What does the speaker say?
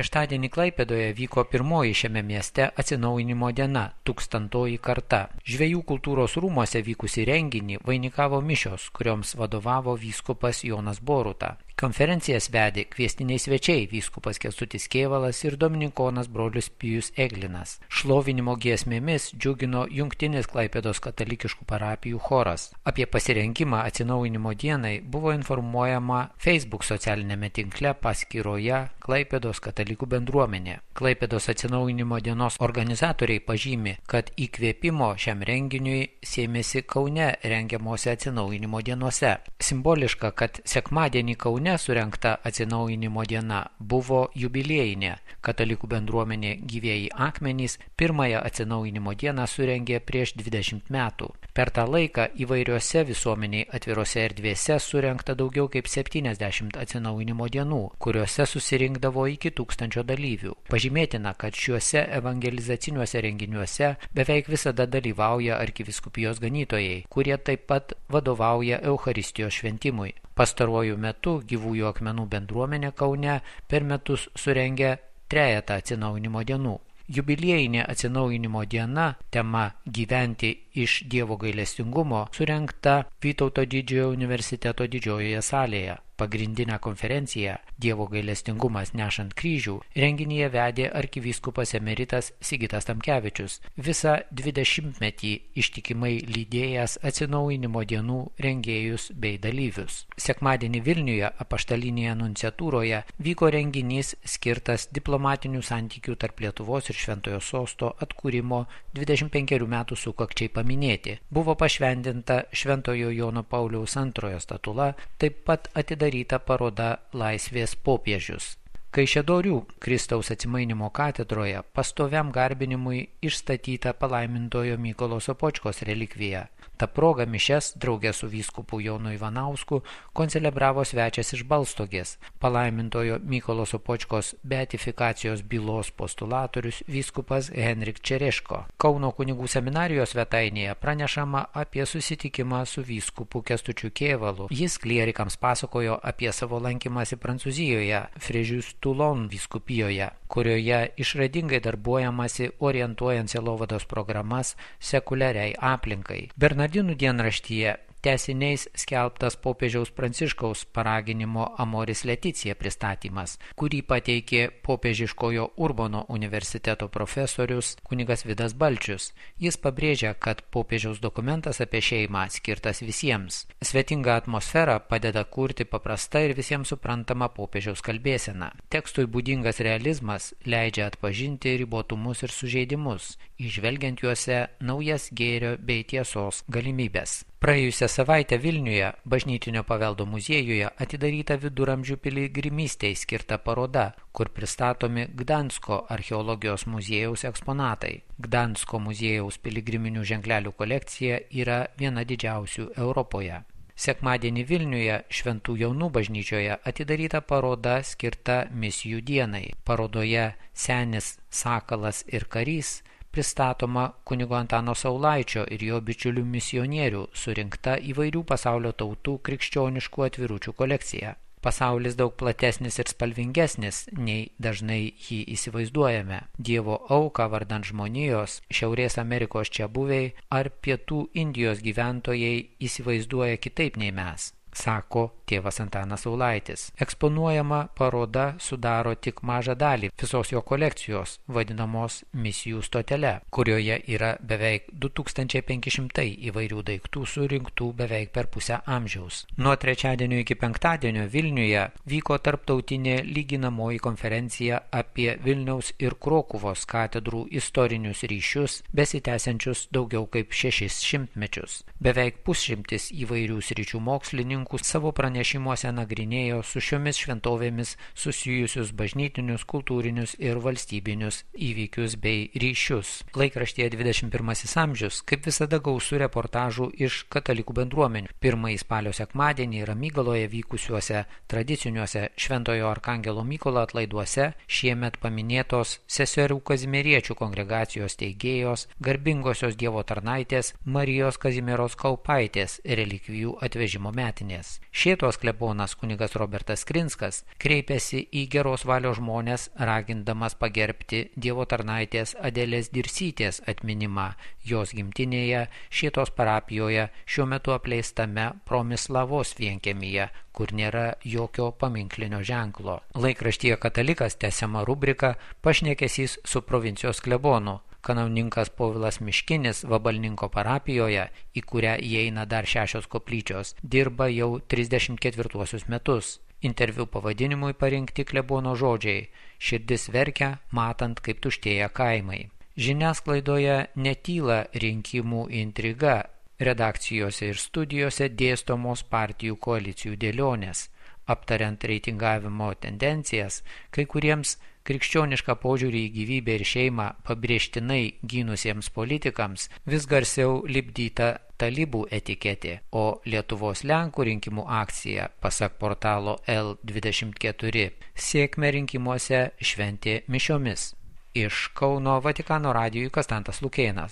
Šeštadienį Klaipėdoje vyko pirmoji šiame mieste atsinaujinimo diena – 1000-oji karta. Žvejų kultūros rūmuose vykusį renginį vainikavo mišios, kurioms vadovavo vyskupas Jonas Boruta. Konferencijas vedė kviestiniai svečiai vyskupas Kęstutis Kėvalas ir dominikonas brolius Pijus Eglinas. Šlovinimo giesmėmis džiugino jungtinis Klaipėdos katalikiškų parapijų choras. Apie pasirengimą atsinaujinimo dienai buvo informuojama Facebook socialinėme tinkle paskyroje Klaipėdos katalikų bendruomenė. Klaipėdos atsinaujinimo dienos organizatoriai pažymi, kad įkvėpimo šiam renginiui sėmėsi Kaune rengiamuose atsinaujinimo dienose. Simboliška, kad sekmadienį Kaune surengta atsinaujinimo diena buvo jubiliejinė. Katalikų bendruomenė Gyvieji akmenys pirmąją atsinaujinimo dieną surengė prieš 20 metų. Per tą laiką įvairiose visuomeniai atvirose erdvėse surengta daugiau kaip 70 atsinaujinimo dienų, kuriuose susirinkdavo iki 1000 dalyvių. Pažymėtina, kad šiuose evangelizaciniuose renginiuose beveik visada dalyvauja arkivyskupijos ganytojai, kurie taip pat vadovauja Eucharistijos šventimui. Pastaruoju metu Gyvųjų akmenų bendruomenė Kaune per metus surengia 3 atsinaujinimo dienų. Jubiliejinė atsinaujinimo diena, tema Gyventi iš Dievo gailestingumo, surengta Vytauto Didžiojo universiteto didžiojoje salėje. Pagrindinę konferenciją Dievo gailestingumas nešant kryžių renginyje vedė arkivyskupas emeritas Sigitas Tamkevičius, visą 20-metį ištikimai lydėjęs atsinaujinimo dienų rengėjus bei dalyvius. Sekmadienį Vilniuje apaštalinėje nunciatūroje vyko renginys skirtas diplomatinių santykių tarp Lietuvos ir Šventojo Sosto atkūrimo 25 metų sukakčiai paminėti. Buvo pašventinta Šventojo Jono Pauliaus II statula, taip pat atidaryta paroda Laisvės popiežius. Kaišiadorių Kristaus atsimainymo katedroje pastoviam garbinimui išstatyta palaimintojo Mykolo Sopočkos relikvija. Ta proga mišias drauge su vyskupu Jonu Ivanausku koncelebravo svečias iš Balstogės, palaimintojo Mykolo Sopočkos beatifikacijos bylos postulatorius vyskupas Henrik Čereško. Kauno kunigų seminarijos svetainėje pranešama apie susitikimą su vyskupu Kęstučiu Kėvalu. Jis klierikams pasakojo apie savo lankymąsi Prancūzijoje, Frežius Toulon vyskupijoje, kurioje išradingai darbuojamasi orientuojant sielovados programas sekuliariai aplinkai. Bernardinų dienraštyje tęsiniais skelbtas popiežiaus Pranciškaus paraginimo Amoris Leticija pristatymas, kurį pateikė popiežiškojo Urbono universiteto profesorius kunigas Vidas Balčius. Jis pabrėžia, kad popiežiaus dokumentas apie šeimą skirtas visiems. Svetinga atmosfera padeda kurti paprastą ir visiems suprantamą popiežiaus kalbėseną. Tekstui būdingas realizmas leidžia atpažinti ribotumus ir sužeidimus, įžvelgiant juose naujas gėrio bei tiesos galimybės. Praėjusią savaitę Vilniuje bažnytinio paveldo muziejuje atidaryta viduramžių piligrimystei skirta paroda, kur pristatomi Gdansko archeologijos muziejaus eksponatai. Gdansko muziejaus piligriminių ženklelių kolekcija yra viena didžiausių Europoje. Sekmadienį Vilniuje Šventų Jonų bažnyčioje atidaryta paroda skirta misijų dienai. Parodoje Senis, Sakalas ir Karys pristatoma kunigo Antano Saulaičio ir jo bičiulių misionierių surinkta įvairių pasaulio tautų krikščioniškų atviručių kolekcija. Pasaulis daug platesnis ir spalvingesnis, nei dažnai jį įsivaizduojame. Dievo auką vardan žmonijos, Šiaurės Amerikos čiabuviai ar Pietų Indijos gyventojai įsivaizduoja kitaip nei mes, sako tėvas Antanas Saulaitis. Eksponuojama paroda sudaro tik mažą dalį visos jo kolekcijos, vadinamos misijų stotele, kurioje yra beveik 2500 įvairių daiktų surinktų beveik per pusę amžiaus. Nuo trečiadienio iki penktadienio Vilniuje vyko tarptautinė lyginamoji konferencija apie Vilniaus ir Krokuvos katedrų istorinius ryšius, besitęsiančius daugiau kaip 600 mečius. Beveik pusšimtis įvairių sričių mokslininkų savo pranešimuose nagrinėjo su šiomis šventovėmis susijusius bažnytinius, kultūrinius ir valstybinius įvykius bei ryšius. Laikraštyje 21 amžius, kaip visada, gausu reportažų iš katalikų bendruomenių. Pirmąjį spalio sekmadienį Ramygaloje vykusiuose tradiciniuose Šventojo Arkangelo Mykolo atlaiduose šiemet paminėtos seserų kazimieriečių kongregacijos steigėjos, garbingosios Dievo tarnaitės Marijos Kazimieros Kaupaitės relikvijų atvežimo metinės. kelionės. Šėtos klebonas kunigas Robertas Skrinskas kreipėsi į geros valios žmonės, ragindamas pagerbti Dievo tarnaitės Adelės Dirsytės atminimą jos gimtinėje Šėtos parapijoje, šiuo metu apleistame Promislavos vienkiemyje, kur nėra jokio paminklinio ženklo. Laikraštyje Katalikas tęsiama rubrika Pašnekesys su provincijos klebonu. Kanauninkas Povilas Miškinis Vabalninko parapijoje, į kurią įeina dar 6 koplyčios, dirba jau 34 metus. Interviu pavadinimui parinkti klebono žodžiai: širdis verkia, matant, kaip tuštėja kaimai. Žiniasklaidoje netyla rinkimų intriga, redakcijose ir studijose dėstomos partijų koalicijų dėlionės. Aptariant reitingavimo tendencijas, kai kuriems krikščionišką požiūrį į gyvybę ir šeimą pabrėžtinai gynusiems politikams vis garsiau lipdyta talibų etiketė, o Lietuvos Lenkų rinkimų akcija, pasak portalo L24, sėkmę rinkimuose šventė mišiomis. Iš Kauno Vatikano radijui Konstantas Lukėnas.